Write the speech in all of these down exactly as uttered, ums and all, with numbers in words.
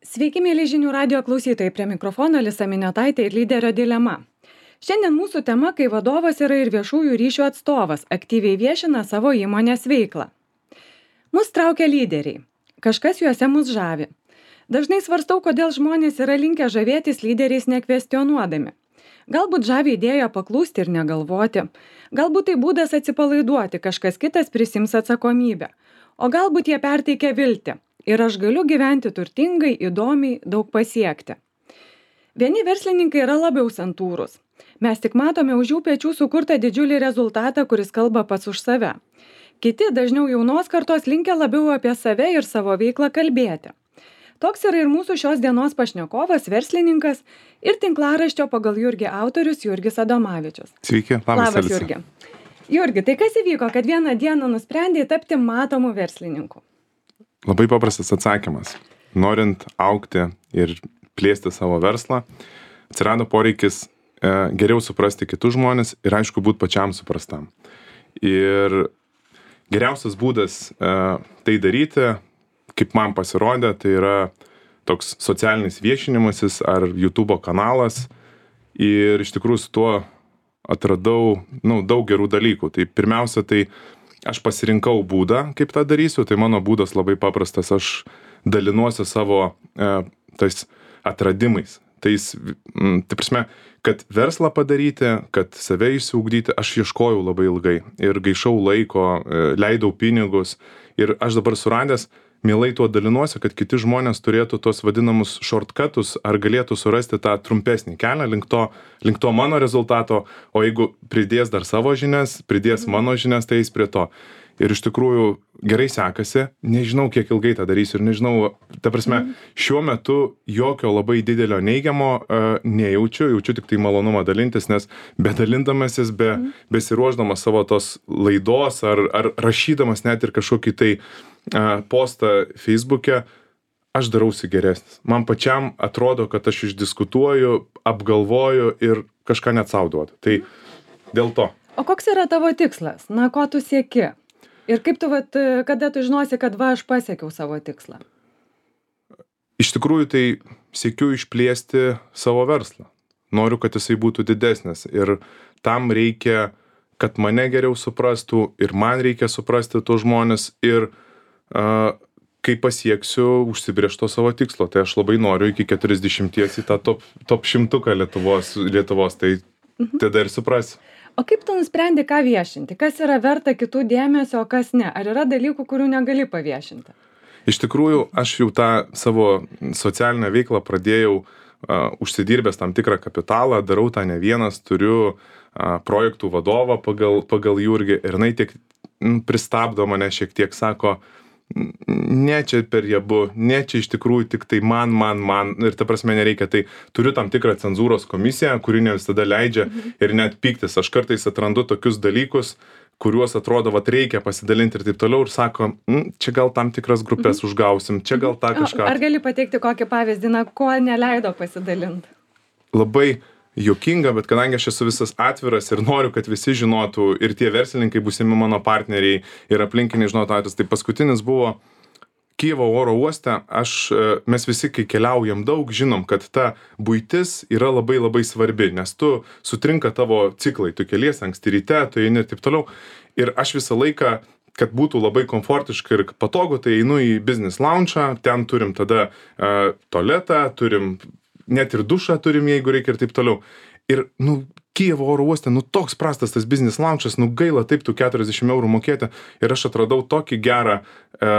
Sveiki, mėly žinių radio klausytojai, prie mikrofono Alisa Miniotaitė ir lyderio dilema. Šiandien mūsų tema, kai vadovas yra ir viešųjų ryšių atstovas, aktyviai viešina savo įmonės veiklą. Mus traukia lyderiai. Kažkas juose mus žavi. Dažnai svarstau, kodėl žmonės yra linkę žavėtis lyderiais nekvestionuodami. Galbūt žavi idėją paklūsti ir negalvoti. Galbūt tai būdas atsipalaiduoti, kažkas kitas prisims atsakomybę. O galbūt jie perteikia viltį. Ir aš galiu gyventi turtingai, įdomiai, daug pasiekti. Vieni verslininkai yra labiau santūrūs. Mes tik matome už jų pečių sukurtą didžiulį rezultatą, kuris kalba pats už save. Kiti, dažniau jaunos kartos, linkę labiau apie save ir savo veiklą kalbėti. Toks yra ir mūsų šios dienos pašnekovas, verslininkas ir tinklaraščio Pagal Jurgį autorius Jurgis Adomavičius. Sveiki, labas, labas Jurgi. Jurgi, tai kas įvyko, kad vieną dieną nusprendėjai tapti matomu verslininku? Labai paprastas atsakymas. Norint augti ir plėsti savo verslą, atsirado poreikis e, geriau suprasti kitus žmonės ir aišku būti pačiam suprastam. Ir geriausias būdas e, tai daryti, kaip man pasirodė, tai yra toks socialinis viešinimasis ar YouTube kanalas. Ir iš tikrųjų su tuo atradau nu, daug gerų dalykų. Tai pirmiausia, tai aš pasirinkau būdą, kaip tą darysiu, tai mano būdas labai paprastas, aš dalinuosi savo e, tais atradimais. Tais, m, tai prasme, kad verslą padaryti, kad save išsiugdyti, aš ieškojau labai ilgai ir gaišau laiko, e, leidau pinigus ir aš dabar suradęs, mielai tuo dalinuosi, kad kiti žmonės turėtų tos vadinamus shortcutus ar galėtų surasti tą trumpesnį kelią link to, link to mano rezultato, o jeigu pridės dar savo žinias, pridės mano žinias, tai eis prie to. Ir iš tikrųjų gerai sekasi, nežinau, kiek ilgai tą darysiu ir nežinau, ta prasme, šiuo metu jokio labai didelio neigiamo uh, nejaučiu, jaučiu tik tai malonumą dalintis, nes bedalindamasis, be, besiruošdamas savo tos laidos ar, ar rašydamas net ir kažkokį tai uh, postą Facebook'e, aš darausi geresnis. Man pačiam atrodo, kad aš išdiskutuoju, apgalvoju ir kažką net sau duodu. Tai dėl to. O koks yra tavo tikslas? Na, ko tu sieki? Ir kaip tu, vat, kada tu žinosi, kad va, aš pasiekiau savo tikslą? Iš tikrųjų, tai siekiu išplėsti savo verslą. Noriu, kad jisai būtų didesnis. Ir tam reikia, kad mane geriau suprastų ir man reikia suprasti tuos žmonės. Ir uh, kai pasieksiu užsibrėžto savo tikslo, tai aš labai noriu iki keturiasdešimties į tą top, top šimtuką Lietuvos, Lietuvos, tai mhm. tada ir suprasiu. O kaip tu nusprendi, ką viešinti? Kas yra verta kitų dėmesio, o kas ne? Ar yra dalykų, kurių negali paviešinti? Iš tikrųjų, aš jau tą savo socialinę veiklą pradėjau uh, užsidirbęs tam tikrą kapitalą, darau tą ne vienas, turiu uh, projektų vadovą pagal, pagal Jurgį ir jinai tiek m, pristabdo mane šiek tiek, sako, ne čia per jabu, ne čia iš tikrųjų tik tai man, man, man ir ta prasme nereikia, tai turiu tam tikrą cenzūros komisiją, kuri ne visada leidžia mhm. ir net pyktis, aš kartais atrandu tokius dalykus, kuriuos atrodo, vat reikia pasidalinti ir taip toliau ir sako, čia gal tam tikras grupės mhm. užgausim, čia gal tą kažką. Ar gali pateikti kokį pavyzdį, na, ko neleido pasidalinti? Labai juokinga, bet kadangi aš esu visas atviras ir noriu, kad visi žinotų ir tie verslininkai būsimi mano partneriai ir aplinkiniai žinotų, tai paskutinis buvo Kijevo oro uoste, aš, mes visi, kai keliaujam daug, žinom, kad ta buitis yra labai labai svarbi, nes tu sutrinka tavo ciklai, tu keliesi anksti ryte, tu eini ir taip toliau. Ir aš visą laiką, kad būtų labai komfortiška ir patogu, tai einu į business lounge'ą, ten turim tada uh, tualetą, turim net ir dušą turim, jeigu reikia ir taip toliau. Ir, nu, Kijevo oro uoste, nu, toks prastas tas business lounge'as, nu, gaila taip tų keturiasdešimt eurų mokėti. Ir aš atradau tokį gerą e,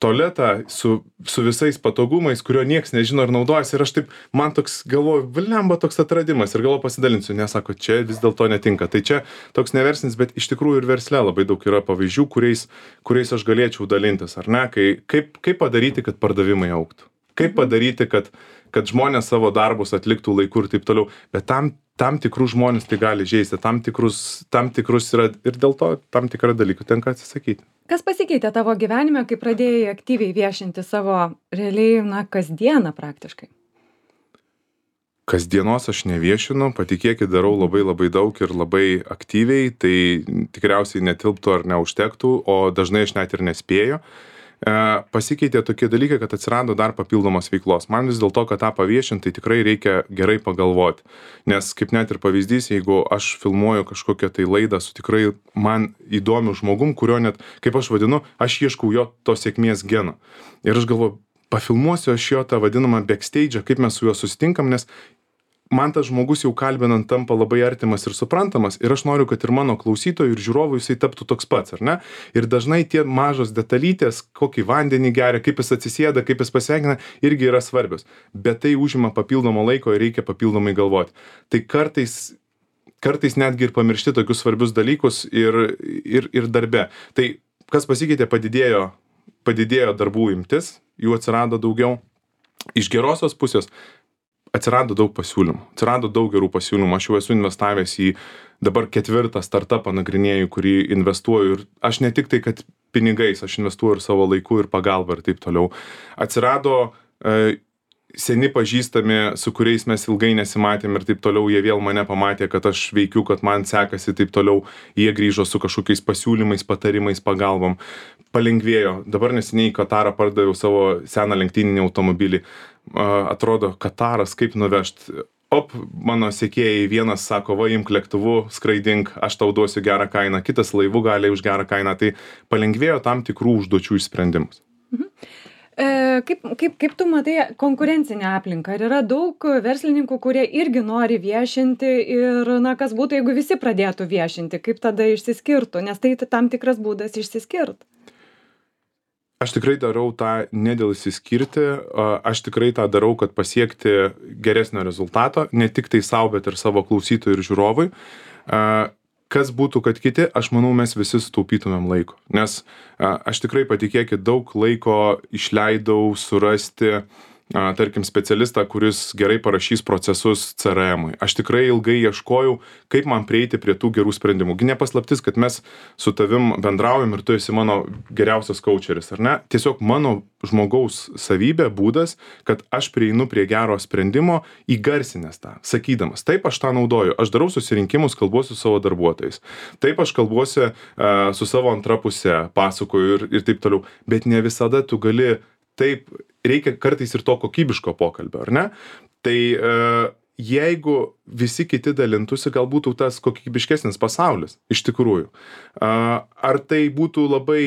tualetą su, su visais patogumais, kurio nieks nežino ir naudojasi. Ir aš taip, man toks galvoju, viliamba toks atradimas ir galvoju pasidalinsiu. Nesako, čia vis dėlto netinka. Tai čia toks neversinis, bet iš tikrųjų ir versle labai daug yra pavyzdžių, kuriais, kuriais aš galėčiau dalintis, ar ne? Kai, kaip, kaip padaryti, kad pardavimai augtų? Kaip padaryti, kad, kad žmonės savo darbus atliktų laiku ir taip toliau. Bet tam, tam tikrus žmonės tai gali žeisti, tam tikrus, tam tikrus yra ir dėl to tam tikrą dalykų tenka atsisakyti. Kas pasikeitė tavo gyvenime, kai pradėjai aktyviai viešinti savo realiai, na, kasdieną praktiškai? Kasdienos aš neviešinu, patikėkit, darau labai labai daug ir labai aktyviai, tai tikriausiai netilptų ar neužtektų, o dažnai aš net ir nespėju. pasikeitė tokie dalykai, kad atsirado dar papildomos veiklos. Man vis dėlto, kad tą paviešinti, tai tikrai reikia gerai pagalvoti. Nes kaip net ir pavyzdys, jeigu aš filmuoju kažkokią tai laidą su tikrai man įdomiu žmogum, kurio net, kaip aš vadinu, aš ieškau jo to sėkmės geno. Ir aš galvoju, pafilmuosiu aš jo tą vadinamą backstage, kaip mes su juo susitinkam, nes man tas žmogus jau kalbinant tampa labai artimas ir suprantamas ir aš noriu, kad ir mano klausytojų ir žiūrovų jisai taptų toks pats, ar ne? Ir dažnai tie mažos detalytės, kokį vandenį geria, kaip jis atsisėda, kaip jis pasveikina, irgi yra svarbios. Bet tai užima papildomo laiko ir reikia papildomai galvoti. Tai kartais, kartais netgi ir pamiršti tokius svarbius dalykus ir, ir, ir darbe. Tai kas pasikeitė, padidėjo, padidėjo darbų imtis, jų atsirado daugiau. Iš gerosios pusės atsirado daug pasiūlymų, atsirado daug gerų pasiūlymų. Aš jau esu investavęs į dabar ketvirtą startupą nagrinėju, kurį investuoju ir aš ne tik tai, kad pinigais, aš investuoju ir savo laiku ir pagalbą ir taip toliau. Atsirado e, seni pažįstami, su kuriais mes ilgai nesimatėm ir taip toliau, jie vėl mane pamatė, kad aš veikiu, kad man sekasi taip toliau, jie grįžo su kažkokiais pasiūlymais, patarimais, pagalbom. Palengvėjo. Dabar neseniai į Katarą pardaviau savo seną lenktyninį automobilį. Atrodo, Kataras kaip nuvežt. Op, mano sekėjai, vienas sako, va, imk lėktuvu, skraidink, aš tau duosiu gerą kainą, kitas laivu gali už gerą kainą. Tai palengvėjo tam tikrų užduočių išsprendimus. Mhm. E, kaip, kaip, kaip tu matai konkurencinę aplinką? Ar yra daug verslininkų, kurie irgi nori viešinti ir, na, kas būtų, jeigu visi pradėtų viešinti, kaip tada išsiskirtų? Nes tai tam tikras būdas išsiskirt. Aš tikrai darau tą ne dėl išsiskirti, aš tikrai tą darau, kad pasiekti geresnio rezultato, ne tik tai savo, bet ir savo klausytojui ir žiūrovui. Kas būtų, kad kiti, aš manau, mes visi sutaupytumėm laiko. Nes aš tikrai, patikėkit, daug laiko išleidau surasti, tarkim, specialistą, kuris gerai parašys procesus C R M-ui. Aš tikrai ilgai ieškojau, kaip man prieiti prie tų gerų sprendimų. Gi nepaslaptis, kad mes su tavim bendraujam ir tu esi mano geriausias coacheris, ar ne? Tiesiog mano žmogaus savybė, būdas, kad aš prieinu prie gero sprendimo įgarsinęs tą, sakydamas, taip aš tą naudoju, aš darau susirinkimus, kalbuosiu su savo darbuotojais, taip aš kalbuosi uh, su savo antra puse, pasakoju ir, ir taip toliau, bet ne visada tu gali. Taip, reikia kartais ir to kokybiško pokalbio, ar ne? Tai e, jeigu visi kiti dalintųsi, gal būtų tas kokybiškesnis pasaulis, iš tikrųjų. A, ar tai būtų labai,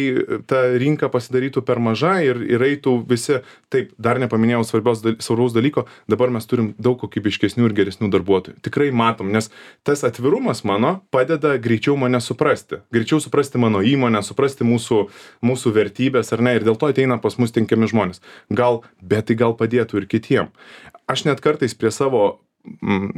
ta rinka pasidarytų per maža ir, ir eitų visi, taip, dar nepaminėjau svarbiaus, svarbaus dalyko, dabar mes turim daug kokybiškesnių ir geresnių darbuotojų. Tikrai matom, nes tas atvirumas mano padeda greičiau mane suprasti, greičiau suprasti mano įmonę, suprasti mūsų, mūsų vertybės, ar ne, ir dėl to ateina pas mus tinkiami žmonės. Gal, bet tai gal padėtų ir kitiem. Aš net kartais prie savo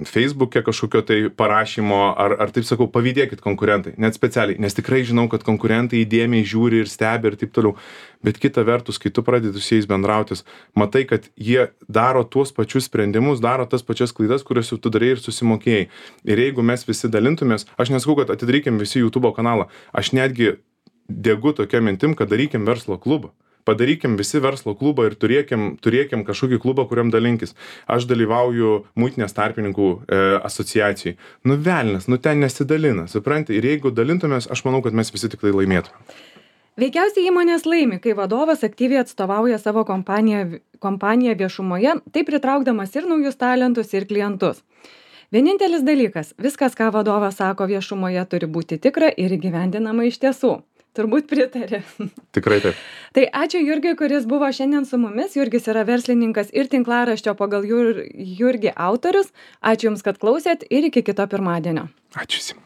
Facebook'e kažkokio tai parašymo, ar, ar taip sakau, pavydėkit konkurentai, net specialiai, nes tikrai žinau, kad konkurentai įdėmiai žiūri ir stebi ir taip toliau, bet kita vertus, kai tu pradedi su jais bendrautis, matai, kad jie daro tuos pačius sprendimus, daro tas pačias klaidas, kurias jau tu darai ir susimokėjai. Ir jeigu mes visi dalintumės, aš nesakau, kad atidarykim visi YouTube kanalą, aš netgi degu tokia mintim, kad darykim verslo klubą. Padarykim visi verslo klubą ir turėkim, turėkim kažkokį klubą, kuriam dalinkis. Aš dalyvauju muitinės tarpininkų e, asociacijai. Nu velnias, nu ten nesidalina, supranti? Ir jeigu dalintumės, aš manau, kad mes visi tik tai laimėtume. Veikiausiai įmonės laimi, kai vadovas aktyviai atstovauja savo kompaniją, kompaniją viešumoje, taip pritraukdamas ir naujus talentus, ir klientus. Vienintelis dalykas, viskas, ką vadovas sako viešumoje, turi būti tikra ir įgyvendinama iš tiesų. Turbūt pritarė. Tikrai taip. Tai ačiū Jurgiui, kuris buvo šiandien su mumis. Jurgis yra verslininkas ir tinklaraščio pagal Jur, Jurgį autorius. Ačiū Jums, kad klausėt ir iki kito pirmadienio. Ačiū.